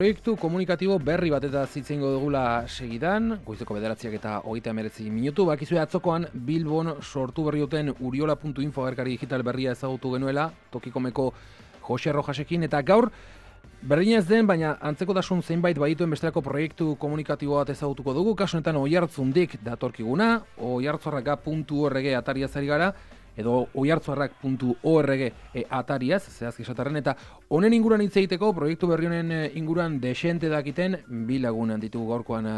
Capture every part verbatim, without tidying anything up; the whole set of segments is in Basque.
Proiektu komunikatibo berri bat eta zitzen dugula segidan, goizeko bederatziak eta hogeita hemeretzi minutu, bakizue atzokoan Bilbon sortu berri duten uriola puntu info agerkari digital berria ezagutu genuela, tokikomeko Jose Rojasekin, eta gaur berdin ez den, baina antzekotasun zeinbait badituen bestelako proiektu komunikatibo bat ezagutuko dugu, kasu honetan Oiartzundik datorkiguna, oiartzorraka puntu org atariaz ari gara, edo oiartzorrak puntu org e, atariaz, zehazki esatarren, eta honen inguruan hitz egiteko, proiektu berri honen inguruan desente dakiten bi lagun ditugu gaurkoan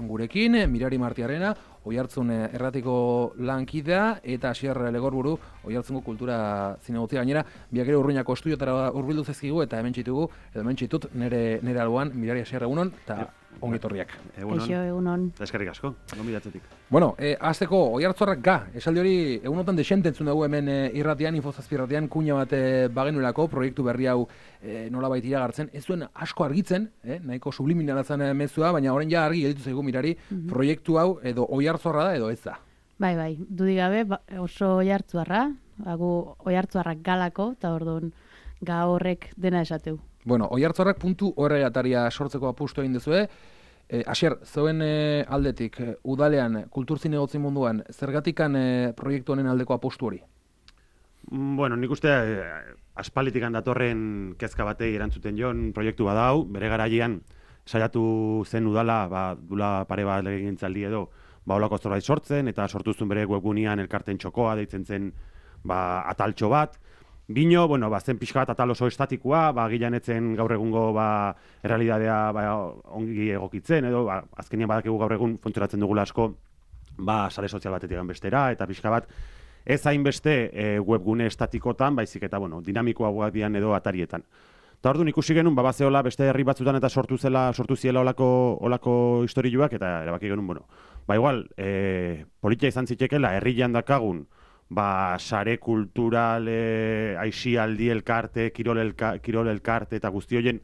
gurekin, Mirari Martiarena, Oiartzun erratiko lankidea, eta Asier Legorburu, Oiartzungo kultura zinegotzia gainera, biak ere urruinako estudiotara urbildu zezkigu, eta hemen txitugu, edo hemen txitut, nire, nire alboan, Mirari Asier egunon, eta ongitorriak. Egunon. Eixo, egunon. Eskerrik asko, gomidatzetik. Bueno, eh, azteko, Oiartzorrak ga, esaldi hori egunotan desente entzun dugu hemen eh, irratian, infozazpi irratian, kuña bat eh, bagenuelako, proiektu berri hau eh, nolabait iragartzen, ez duen asko argitzen, eh, nahiko subliminala zen eh, mezua, baina orain ja argi gelditu zaigu Mirari, mm-hmm. proiektu hau edo Oiartzorra da edo ez da. Bai, bai, dudik gabe ba, oso Oiartzarra, gu Oiartzarrak galako, eta orduan ga horrek dena esateu. Bueno, oiartzorrak puntu org ataria sortzeko apustu egin duzue. Eh, Asier, zeuen eh, aldetik, eh, udalean, kulturzine gotzin munduan, zergatikan eh, proiektu honen aldeko apustu hori? Bueno, nik uste eh, aspalitikan datorren kezka batei erantzuten joan proiektu badau, bere garaian saiatu zen udala, ba, dula pare bat legegintzaldi edo, ba, olako zorbait sortzen, eta sortuzun bere webgunean elkarten txokoa, deitzen zen ba, ataltxo bat. Bino, bueno, ba, zen pixka bat atal oso estatikoa, ba, gilan etzen gaur egungo ba, errealidadea ba, ongi egokitzen, edo ba, azkenean badakigu gaur egun funtzionatzen dugula asko ba, sare sozial batetik bestera, eta pixka bat ez hainbeste e, webgune estatikotan, baizik eta bueno, dinamikoagoak dian edo atarietan. Eta orduan ikusi genuen, ba, bazeola beste herri batzutan eta sortu zela, sortu ziela olako, olako historioak, eta erabaki genuen, bueno, ba igual, e, politia izan zitekela, herrian dakagun, ba, sare kultural, e, aixialdi elkarte, kirol, elka, kirol elkarte eta guzti horien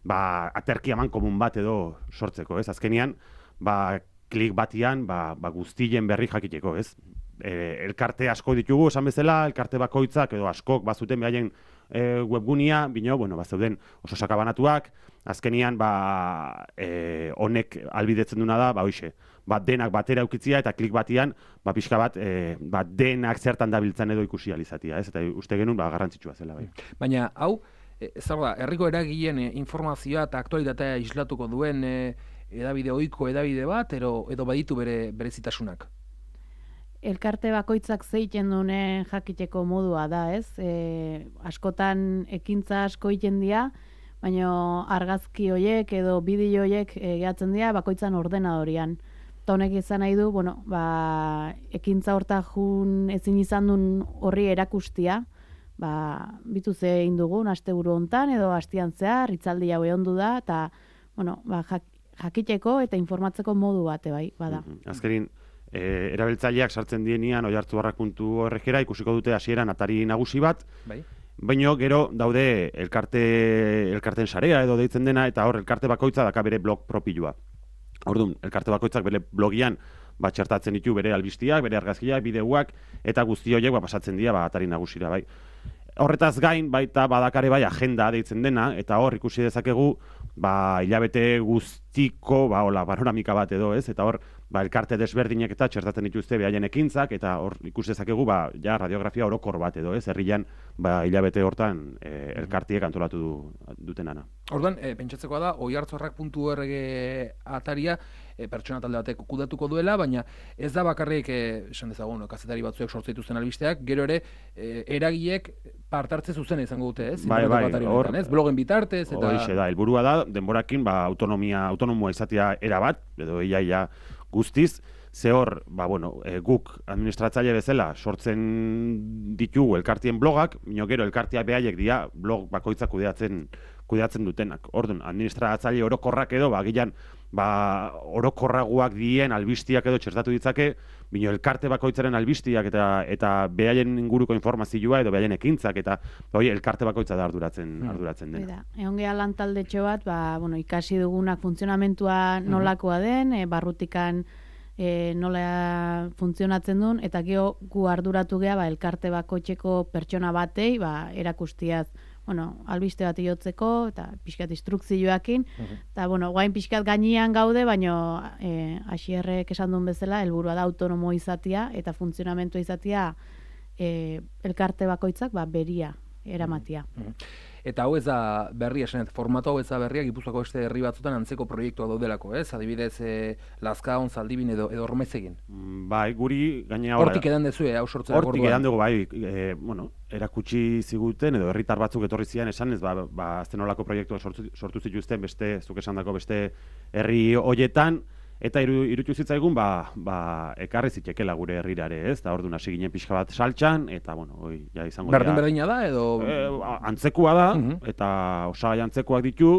ba, aterki eman komun bat edo sortzeko, ez? Azkenean, ba, klik batian ba, ba, guztien berri jakiteko, ez? E, elkarte asko ditugu, esan bezala, elkarte bakoitzak edo askok bazuten behaien e, webgunia, bino, bueno, bazeuden oso sakabanatuak, azkenean, ba, e, honek albidetzen duna da, ba, hoxe, ba, denak batera eukitzia eta klik batian, ba, pixka bat, e, ba, denak zertan dabiltzan edo ikusi alizatia, ez? Eta uste genuen, ba, garrantzitsua zela, bai. Baina, hau, e, ez da, herriko eragileen e, informazioa eta aktualitatea islatuko duen e, edabide ohiko edabide bat, edo, edo baditu bere berezitasunak? Elkarte bakoitzak zeiten dune jakiteko modua da, ez? E, askotan ekintza asko egiten dira, baina argazki hoiek edo bideo hoiek e, gehatzen dira bakoitzan ordenadorian. Eta honek izan nahi du, bueno, ba, ekintza horta jun ezin izan duen horri erakustia, ba, bitu ze egin dugun, asteburu hontan edo astian zehar, hitzaldi hau ondu da, eta bueno, ba, jak, jakiteko eta informatzeko modu bate bai, bada. Mm-hmm. Azkerin, e, erabiltzaileak sartzen dienean oiartzorrak puntu org-era ikusiko dute hasieran atari nagusi bat, bai. Baina gero daude elkarte, elkarten sarea edo deitzen dena, eta hor elkarte bakoitza daka bere blog propioa. Orduan, elkarte bakoitzak bere blogian ba, txertatzen ditu bere albistiak, bere argazkiak, bideoak, eta guzti horiek ba, pasatzen dira ba, atari nagusira, bai. Horretaz gain, baita badakare bai agenda deitzen dena, eta hor ikusi dezakegu ba, hilabete guztiko ba, hola, panoramika bat edo, ez? Eta hor, ba, elkarte desberdinek eta txertatzen dituzte behaien ekintzak, eta hor ikusi dezakegu ba, ja, radiografia orokor bat edo, ez? Herrian ba, hilabete hortan e, elkartiek antolatu du, dutenana. Orduan, e, pentsatzekoa da, oiartzorrak puntu org ataria e, pertsona talde batek kudatuko duela, baina ez da bakarrik, e, esan dezagun, kazetari batzuek sortze dituzten albisteak, gero ere, e, eragileek partartze zuzena izango dute, ez? Bai, bai, hor, ez? Blogen bitartez, eta... Hoxe da, helburua da, denborakin, ba, autonomia, autonomoa izatea erabat, edo iaia guztiz, ze hor, ba, bueno, e, guk administratzaile bezala sortzen ditugu elkartien blogak, mino gero elkartia behaiek dira blog bakoitzak kudeatzen kudeatzen dutenak. Orduan, administratzaile orokorrak edo, ba, gilan, ba, orokorraguak dien albistiak edo txertatu ditzake, bino elkarte bakoitzaren albistiak eta eta behaien inguruko informazioa edo behaien ekintzak, eta hori elkarte bakoitza da arduratzen, arduratzen dena. Egon geha lan taldetxo bat, ba, bueno, ikasi dugunak funtzionamentua nolakoa den, e, barrutikan e, nola funtzionatzen duen, eta geho gu arduratu geha ba, elkarte bakoitzeko pertsona batei ba, erakustiaz. bueno, albiste bat iotzeko, eta pixkat instrukzioakin, eta, bueno, guain pixkat gainean gaude, baina e, Asierrek esan duen bezala, helburua da autonomo izatia, eta funtzionamentu izatia e, elkarte bakoitzak, ba, beria eramatia. Eta hau ez da berria, esanet, formatu hau ez da berria, Gipuzkoako beste herri batzutan antzeko proiektua daudelako, ez? Adibidez, e, Lazkaon, Zaldibin edo, edo Ormezegin. Bai, guri gainea... Hortik edan dezue, hau sortzera gorduan. Hortik edan dugu, bai, e, bueno, erakutsi ziguten, edo herritar batzuk etorri zian esan, ez, ba, ba aztenolako proiektua sortu, sortu zituzten, beste, zuk esandako beste herri hoietan, eta iru, irutu zitzaigun, ba, ba, ekarri zitekela gure herrirare, ez? Da orduan hasi ginen pixka bat saltxan, eta, bueno, hoi, ja izango... Berdin berdina da, edo... E, antzekua da, uh -huh. eta osagai antzekoak ditu,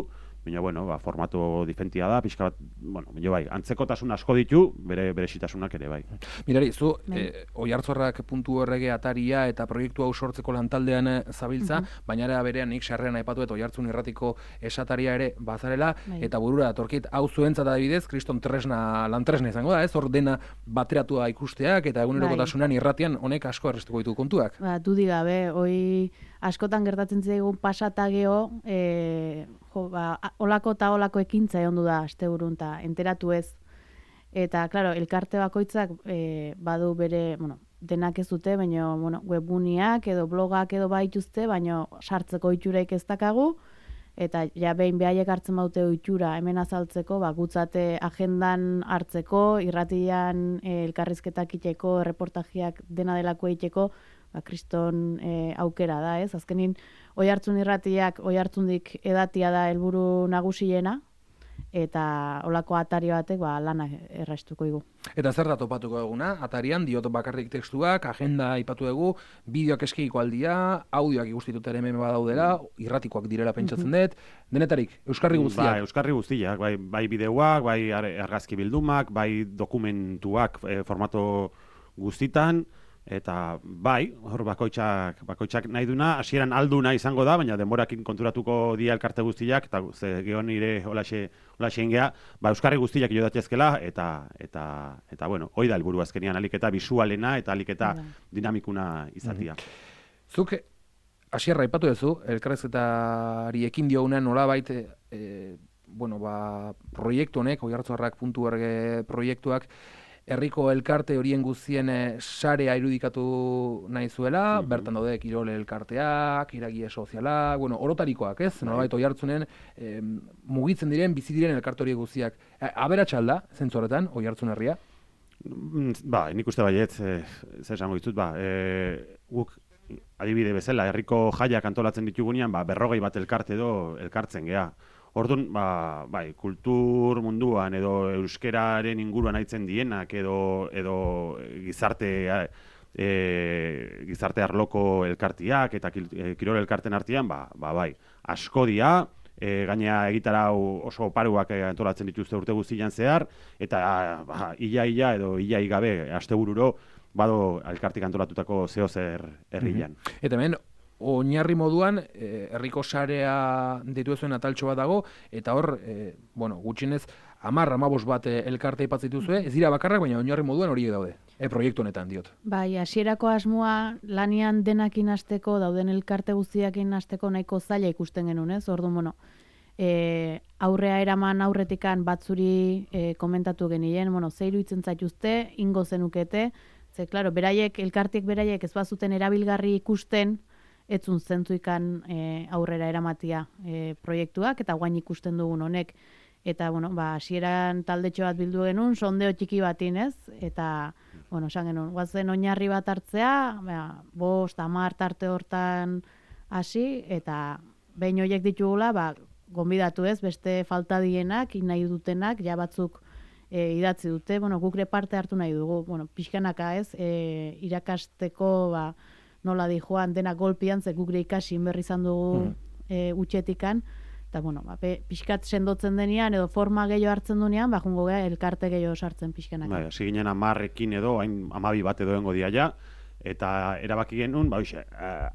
baina, bueno, ba, formatu diferentia da, pixka bat, bueno, baina bai, antzekotasun asko ditu, bere berezitasunak ere bai. Mirari, zu, e, oiartzorrak puntu horrege ataria eta proiektu hau sortzeko lantaldean zabiltza, uh -huh. baina ere berean nik sarrean aipatu eta oiartzun irratiko esataria ere bazarela, bai. Eta burura datorkit hau zuentzat adibidez, kriston tresna, lan tresna izango da, ez? Hor dena bateratua ikusteak eta egunerokotasunan irratian honek asko errestuko ditu kontuak. Ba, dudi gabe, hoi askotan gertatzen zaigun pasatageo, e, jo, ba, olako eta olako ekintza egon du da asteburun eta enteratu ez. Eta, klaro, elkarte bakoitzak e, badu bere, bueno, denak ez dute, baina bueno, webuniak edo blogak edo baituzte, baina sartzeko itxuraik ez dakagu, eta ja behin behaiek hartzen baute itxura hemen azaltzeko, ba, gutzate agendan hartzeko, irratian e, elkarrizketak iteko, erreportajiak dena delako iteko, ba, kriston e, aukera da, ez? Azkenin, Oihartzun irratiak, Oihartzundik edatia da helburu nagusiena, eta olako atari batek ba, lana errastuko igu. Eta zer da topatuko eguna? Atarian, diot bakarrik testuak, agenda aipatu dugu, bideoak eskegiko aldia, audioak ikustitut ere hemen badaudela, irratikoak direla pentsatzen dut, denetarik, euskarri guztiak? Bai, euskarri guztiak, bai, bai bideoak, bai argazki bildumak, bai dokumentuak e, formato guztitan, eta bai, hor bakoitzak, bakoitzak nahi duna, hasieran alduna izango da, baina denborakin konturatuko dia elkarte guztiak, eta ze geho nire holaxe, holaxe ingea, ba, euskarri guztiak jo datezkela, eta, eta, eta, bueno, hoi da helburu azkenian, aliketa visualena eta aliketa dinamikuna izatia. Mm-hmm. Zuk, hasierra aipatu duzu, elkarrezketari ekin diogunean nolabait, e, bueno, ba, proiektu honek, oihartzunarrak puntu org proiektuak, herriko elkarte horien guztien sarea irudikatu nahi zuela, mm-hmm. bertan daude kirol elkarteak, iragie sozialak, bueno, orotarikoak, ez? Nolabait Oihartzunen eh, mugitzen diren, bizi diren elkarte horiek guztiak. Aberatsa alda, zentzu horretan, Oihartzun herria? Ba, nik uste baiet, e, zer esango ditut, ba, e, guk adibide bezala, herriko jaiak antolatzen ditugunean, ba, berrogei bat elkarte edo elkartzen gea. Orduan, ba, bai, kultur munduan edo euskeraren inguruan aitzen dienak edo, edo gizarte, e, gizarte arloko elkartiak eta kirol elkarten artean, ba, ba, bai, asko dia, e, gainea egitarau oso oparuak antolatzen dituzte urte guztian zehar, eta ba, ia-ia edo ia-i gabe astebururo bado elkartik antolatutako zehozer herrian. Mm-hmm. Eta hemen, oinarri moduan, herriko sarea ditu zuen ataltxo bat dago, eta hor, e, bueno, gutxienez, hamar, hamabost bat elkarte aipatzen dituzue, ez dira bakarrak, baina oinarri moduan horiek daude, e, proiektu honetan diot. Bai, hasierako asmoa lanian denakin hasteko, dauden elkarte guztiakin hasteko nahiko zaila ikusten genuen, ez? Orduan, bueno, e, aurrea eraman aurretikan batzuri e, komentatu genien, bueno, ze iruditzen zaituzte, ingo zenukete, ze, klaro, beraiek, elkartiek beraiek ez bazuten erabilgarri ikusten, etzun zentzuikan e, aurrera eramatia e, proiektuak, eta guain ikusten dugun honek. Eta, bueno, ba, hasieran taldetxo bat bildu genuen, sondeo txiki batin, ez? Eta, bueno, esan genuen, guazen oinarri bat hartzea, ba, bost, hamar tarte hortan hasi, eta behin horiek ditugula, ba, gonbidatu ez, beste falta dienak, nahi dutenak, ja batzuk e, idatzi dute, bueno, gukre parte hartu nahi dugu, bueno, pixkanaka ez, e, irakasteko, ba, nola di joan dena golpian, ze gukre ikasi berri izan dugu mm. e, utxetikan, eta, bueno, ba, pixkat sendotzen denean, edo forma gehiago hartzen dunean, ba, jungo geha, elkarte gehiago sartzen pixkanaka. Bai, hasi ginen amarrekin edo, hain amabi bat edo engo dia ja, eta erabaki genuen, ba, oixe,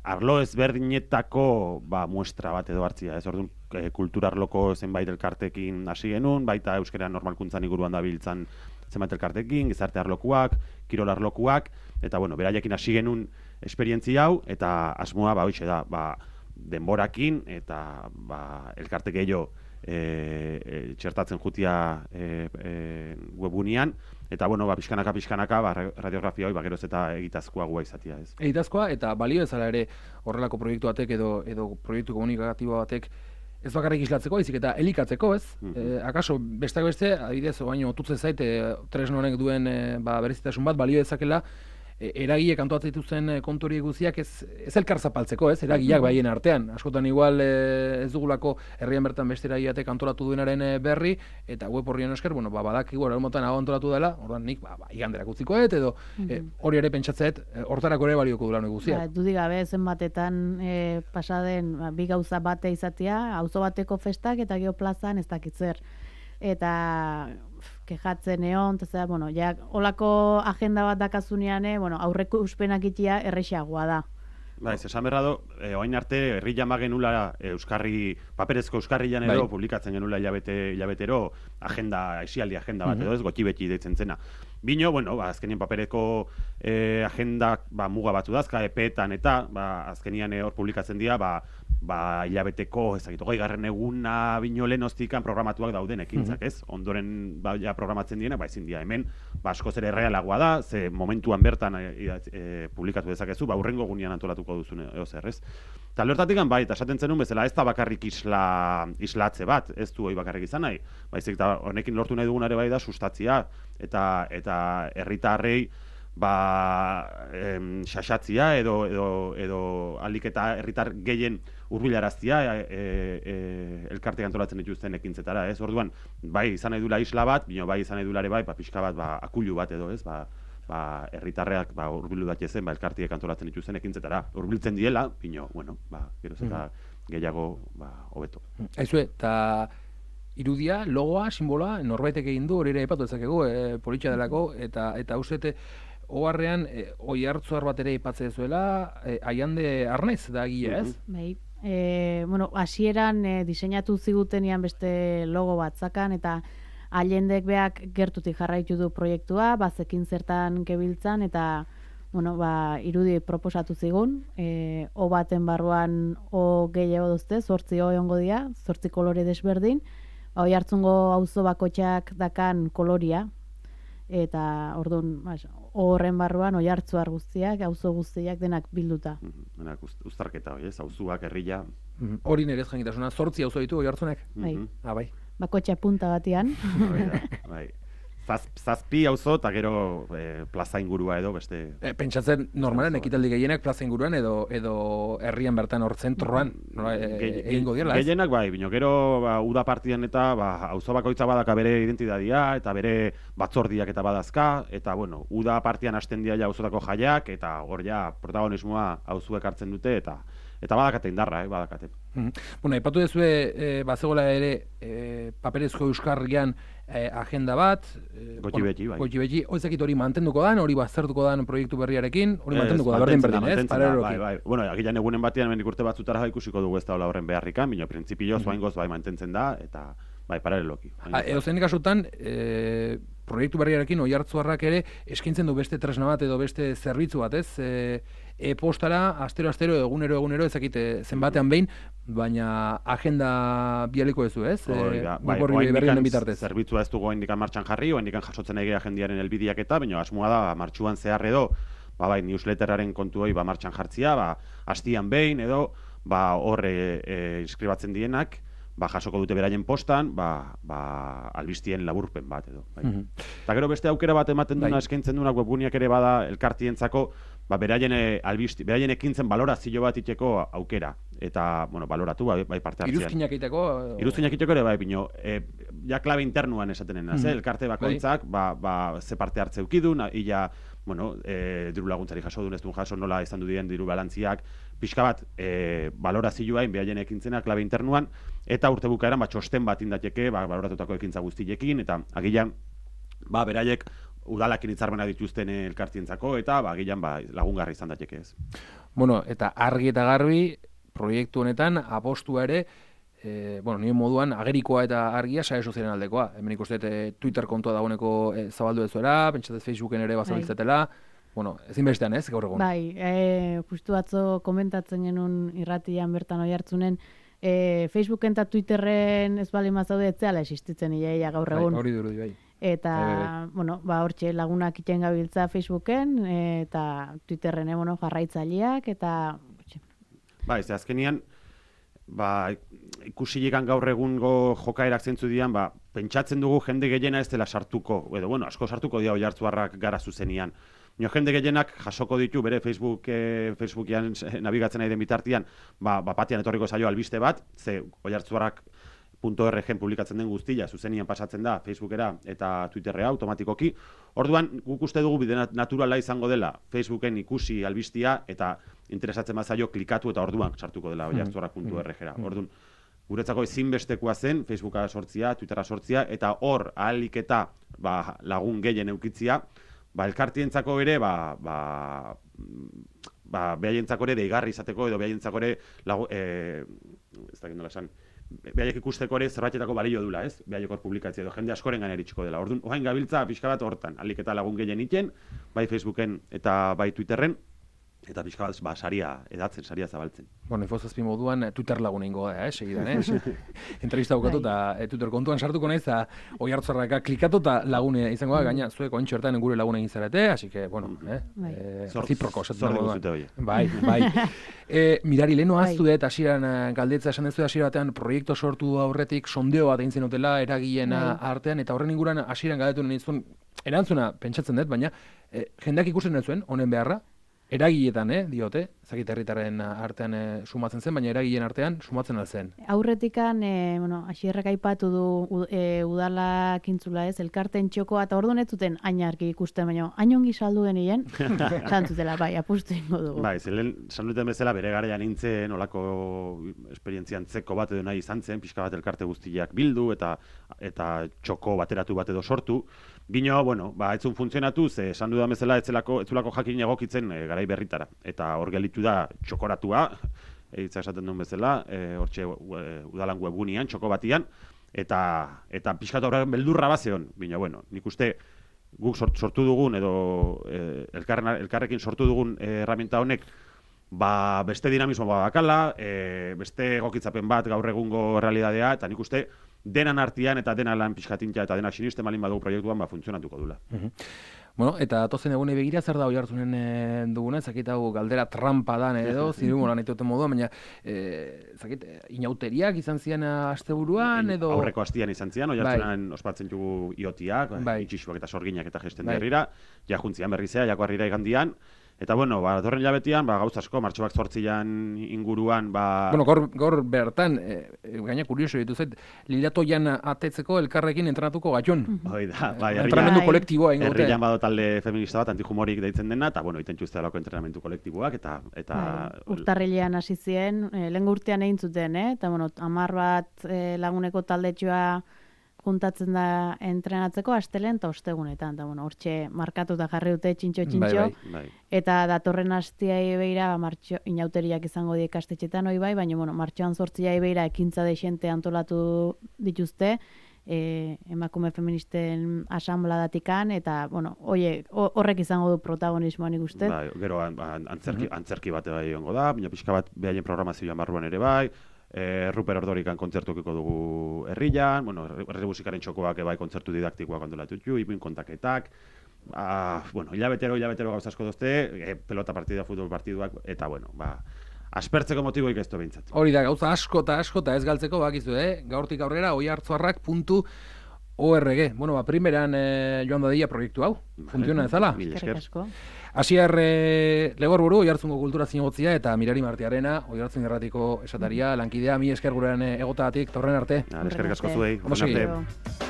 arlo ezberdinetako ba, muestra bat edo hartzia, ez orduan, e, kulturarloko zenbait elkartekin hasi genuen, baita euskera normalkuntzan inguruan dabiltzan zenbait elkartekin, gizarte arlokuak, kirol arlokuak, eta, bueno, beraiekin hasi genuen esperientzia hau, eta asmoa, ba, oixe da, ba, denborakin, eta ba, elkarte gehiago e, e, txertatzen jutia e, e, webunian, eta bueno, ba, pixkanaka, pixkanaka, ba, radiografia hoi, ba, geroz eta egitazkoagoa izatea, ez. Egitazkoa, eta balio ezala ere horrelako proiektu batek edo, edo proiektu komunikatibo batek ez bakarrik islatzeko, izik eta elikatzeko, ez? Mm -hmm. e, akaso, besteak beste, adibidez, baino otutzen zait, e, tresno honek duen e, ba, berezitasun bat, balio ezakela, eragile kantoatzen dituzten kontu guziak ez, ez elkar zapaltzeko, ez? Eragileak baien artean. Askotan igual ez dugulako herrian bertan beste eragileatek antolatu duenaren berri, eta web horrien esker, bueno, ba, badakigu eramotan hau antolatu dela, ordan nik, ba, ba iganderak utzikoet, edo hori mm-hmm. ere pentsatzeet, hortarako ere balioko dula hori guziak. Ba, dudik gabe, zenbatetan e, pasaden ba, bi gauza bate izatea, auzo bateko festak eta geoplazan ez dakitzer. Eta kejatzen egon, eta bueno, ja, olako agenda bat dakazunean, eh, bueno, aurreko uspenak itia errexagoa da. Ba, ez, esan berra do, eh, oain arte, herri jama genula euskarri, paperezko euskarri jan edo, bai. Publikatzen genula hilabete, hilabetero, agenda, esialdi agenda bat, mm-hmm. edo ez, gotxi beti deitzen zena. Bino, bueno, ba, azkenien papereko eh, agenda ba, muga batzu dazka, epeetan eta, ba, azkenian hor eh, publikatzen dira, ba, ba, hilabeteko, ezagito, goi garren eguna bino lehen oztikan programatuak dauden ekintzak, ez? Ondoren, ba, ja programatzen diena, ba, ezin dira hemen, ba, askoz ere errealagoa da, ze momentuan bertan e, e, publikatu dezakezu, ba, urrengo gunean antolatuko duzun eozer, ez? Eta lortatik, bai, eta esaten zenun bezala, ez da bakarrik isla, islatze bat, ez du hori bakarrik izan nahi, baizik, eta honekin lortu nahi dugun ere bai da, sustatzia, eta, eta herritarrei, ba, em, xaxatzia edo, edo, edo alik eta herritar gehien hurbilaraztia e, e, elkartek antolatzen dituzten ekintzetara, ez? Orduan, bai izan nahi dula isla bat, bino bai izan nahi dulare bai, ba, pixka bat, ba, akulu bat edo, ez? Ba, ba, herritarreak ba, hurbildu daitezen, ba, elkartiek antolatzen dituzten ekintzetara. Hurbiltzen diela, bino, bueno, ba, geroz eta gehiago, ba, hobeto. Aizue, eta irudia, logoa, simboloa, norbaitek egin du, hori ere epatu ezakegu, e, politxa delako, eta eta uzete, oharrean, e, oi hartzuar bat ere ipatze zuela, e, aiande arnaiz da gila, ez? Bai. E, bueno, hasieran e, diseinatu zigutenian beste logo bat zakan, eta aiendek beak gertutik jarraitu du proiektua, bazekin zertan kebiltzan, eta bueno, ba, irudi proposatu zigun, e, o baten barruan o gehiago duzte, zortzi o egongo dira, zortzi kolore desberdin, ba, oi hartzungo auzo bakotxak dakan koloria, eta orduan, horren barruan oi hartzuar guztiak, auzo guztiak denak bilduta. Denak uztarketa, hori ez, auzuak, herria. Hori nerez jangitasuna, zortzi auzo ditu oi hartzunek? Bai. Ah, bai. Bakotxa punta batian. Bai. Zaz, zazpi auzo eta gero e, plaza ingurua edo beste... E, pentsatzen normalen ekitaldi gehienak plaza inguruan edo edo herrian bertan hor zentroan egingo dira, ez? Gehienak bai, bino gero ba, uda partian eta ba, auzo bakoitza badaka bere identitatea eta bere batzordiak eta badazka, eta bueno, uda partian hasten dira ja auzotako jaiak, eta hor ja protagonismoa auzuek hartzen dute, eta eta badakate indarra, eh, badakate. Mm. Bueno, aipatu duzue, e, bazegoela ere e, paperezko euskarrian e, agenda bat, e, gotxi beti, bai. Gotxi beti, hori hori mantenduko dan, hori baztertuko dan proiektu berriarekin, hori mantenduko da, berdin berdin, ez? Bai, bai. Bueno, agilan egunen batean hemendik urte batzutara ikusiko dugu ez da horren beharrikan, bino printzipio zoaingoz bai mantentzen da, eta bai, paraleloki. Edo zein kasutan, e, proiektu berriarekin oi hartzuarrak ere eskaintzen du beste tresna bat edo beste zerbitzu bat, ez? E, e-postara, astero, astero, egunero, egunero, ezakite zenbatean behin, baina agenda bialiko ezu, ez? Hori da, bai, oaindikan zerbitzua ez dugu oaindikan martxan jarri, oaindikan jasotzen egea agendiaren elbidiak eta, baina asmoa da, martxuan zehar edo, ba, bai, newsletteraren kontu hori ba, martxan jartzia, ba, hastian behin edo, ba, horre e, inskribatzen dienak, ba, jasoko dute beraien postan, ba, ba, albistien laburpen bat edo. Bai. Mm-hmm. Eta gero beste aukera bat ematen duna, bai. Eskaintzen duenak webguniak ere bada elkartientzako, ba, beraien, albisti, beraien ekintzen balorazio bat iteko aukera. Eta, bueno, baloratu, bai, bai parte hartzean. Iruzkinak iteko? Iruzkinak iteko ere, bai, bino, e, ja klabe internuan esaten naz, mm. elkarte bakoitzak, bai. ba, ba, ze parte hartze eukidun, illa, bueno, e, diru laguntzari jaso dun, ez duen jaso, nola izan du dien diru balantziak, pixka bat, e, balorazioa, beraien ekintzena, klabe internuan, eta urte bukaeran, ba, txosten bat indateke, ba, baloratutako ekintza guztiekin, eta agilan, ba, beraiek, udalakin hitzarmena dituzten elkartientzako, eta ba, agilan ba, lagungarri izan daiteke ez. Bueno, eta argi eta garbi, proiektu honetan, apostua ere, e, bueno, nire moduan, agerikoa eta argia sare sozialen aldekoa. Hemen ikusten e, Twitter kontua dagoeneko e, zabaldu ezuera, pentsatez Facebooken ere bazabiltzetela. bueno, ezinbestean ez, gaur egun. Bai, e, justu atzo komentatzen genuen irratian bertan oi hartzunen, e, Facebooken eta Twitterren ez bali mazaude etzeala existitzen iaia gaur egun. Bai, hori duru, bai. Eta, Bai, bai. bueno, ba, hortxe lagunak iten gabiltza Facebooken, e, eta Twitterren, e, bueno, jarraitzaileak, eta... Ba, ez azkenian, ba, ikusilikan gaur egungo jokaerak zentzu dian, ba, pentsatzen dugu jende gehiena ez dela sartuko, edo, bueno, asko sartuko dira oihartzuarrak gara zuzenian. Nio jende gehienak jasoko ditu bere Facebook, eh, Facebookian nabigatzen nahi den bitartian, ba, ba patian etorriko zaio albiste bat, ze oihartzuarrak punto R G publikatzen den guztia, zuzenian pasatzen da Facebookera eta Twitterrea automatikoki. Orduan, guk uste dugu bide naturala izango dela Facebooken ikusi albistia eta interesatzen bazaio klikatu eta orduan sartuko dela oihartzuarrak punto R Gera. Orduan, guretzako ezinbestekoa zen Facebooka sortzia, Twittera sortzia, eta hor ahalik eta ba, lagun gehien eukitzia, ba, elkartientzako ere, ba, ba, ba, behaientzako ere deigarri izateko, edo behaientzako ere, lagu, e, ez dakit nola esan, behaiek ikusteko ere zerbaitetako balio dula, ez? Behaiek hor publikatzea edo jende askoren gana eritxiko dela. Orduan, ohain gabiltza pixka bat hortan, ahalik eta lagun gehien iten, bai Facebooken eta bai Twitterren, eta pixka bat, ba, saria edatzen, saria zabaltzen. Bueno, infozazpi moduan Twitter lagun ingo da, eh, segidan, eh? Entrevista bukatu eta e, Twitter kontuan sartuko naiz, eta oihartzarraka klikatu eta lagune izango da, gaina zuek ointxo hertan gure lagun egin zarete, así que, bueno, eh? Bai. eh Zorriko zute hori. Bai, bai. e, mirari, leheno aztu dut, hasieran galdetza esan dezu, hasiera batean proiektu sortu aurretik sondeo bat egin zenutela eragileen artean, eta horren inguruan hasieran galdetu nizun, erantzuna pentsatzen dut, baina e, jendeak ikusten dut zuen, honen beharra, eragiletan, eh, diote, zakit herritarren artean eh, sumatzen zen, baina eragileen artean sumatzen alzen. Aurretikan, eh, bueno, asierrak aipatu du eh, udala kintzula ez, elkarten txokoa, eta orduan ez zuten ainarki ikusten, baina ainongi saldu denien, zantzutela, bai, apustu ingo dugu. Bai, zelen, sanuten bezala, bere garaian nintzen, olako esperientzian zeko bat edo nahi izan zen, pixka bat elkarte guztiak bildu, eta eta txoko bateratu bat edo sortu. Bino, bueno, ba, etzun funtzionatu, ze esan dudan bezala, etzelako, etzulako jakin egokitzen e, garai berritara. Eta hor gelitu da txokoratua, eitza esaten duen bezala, e, hortxe e, udalan webgunian, txoko batian, eta, eta pixkat horrean beldurra bazeon. Bino, bueno, nik uste guk sort, sortu dugun, edo e, elkarren, elkarrekin sortu dugun e, herramienta honek, ba, beste dinamismo badakala, e, beste egokitzapen bat gaur egungo realidadea, eta nik uste denan artean eta dena lan pixkatintza eta denak sinisten balin badugu proiektuan, ba, funtzionatuko dula. Uh-huh. Bueno, eta tozen egune begira zer da oihartzunen e, duguna, zakit hau galdera trampa dan edo, zirumola nahi duten modua, baina e, zakit, inauteriak izan zian asteburuan edo... Aurreko astian izan zian, oihartzunan bai. Ospatzen dugu iotiak, bai. Itxisuak eta sorginak eta gesten bai. Derrira, ja juntzian berrizea, jako harrira igandian, eta bueno, ba, dorren jabetian, ba, gauz asko, martxoak zortzian inguruan, ba... Bueno, gaur, gaur bertan, e, gaina kurioso ditu zait, lilatoian atetzeko elkarrekin entrenatuko gatxon. Hoi da, bai, entrenamendu kolektiboa ingo dute. Herrian bado talde feminista bat, antihumorik deitzen dena, eta bueno, iten txuzte alako entrenamendu kolektiboak, eta... eta... Bai, urtarrilean hasi ziren, e, lehen urtean egin zuten, eh? Eta bueno, hamar bat e, laguneko taldetxoa juntatzen da entrenatzeko astelen eta ostegunetan, eta bueno, hortxe markatuta jarri dute txintxo-txintxo, bai, bai. Eta datorren astiai beira martxo, inauteriak izango die ikastetxetan hoi bai, baina bueno, martxoan zortziai beira ekintza dexente antolatu dituzte, e, emakume feministen asanbladatikan, eta bueno, oie, horrek izango du protagonismoa nik uste. Bai, gero antzerki, antzerki bate bai ongo da, baina pixka bat behaien programazioan barruan ere bai, E, Ruper Ordorikan kontzertukiko dugu herrian, bueno, herri musikaren txokoak bai kontzertu didaktikoak antolatutxu, ipuin kontaketak, ah, bueno, hilabetero, hilabetero gauz asko dozte, e, pelota partida, futbol partiduak, eta bueno, ba, aspertzeko motiboik ez du behintzat. Hori da, gauza asko eta asko eta ez galtzeko bakizu, eh? Gaurtik aurrera, oihartzuarrak puntu org. Bueno, ba, primeran eh, joan dadila proiektu hau, funtziona ezala? Mil esker. Asier eh, Legorburu, Oihartzungo kultura zinegotzia, eta Mirari Martiarena, Oihartzun erratiko esataria, lankidea, mi esker gurean egotatik, torren arte. Esker asko zuei, horren arte.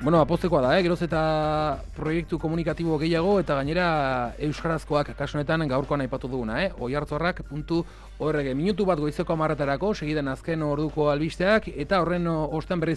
Bueno, apoztekoa da, eh? Geroz eta proiektu komunikatibo gehiago eta gainera euskarazkoak kasu honetan gaurkoan aipatu duguna, eh? oihartzorrak puntu org. Minutu bat goizeko hamarretarako, segidan azken orduko albisteak, eta horren ostean berriz ere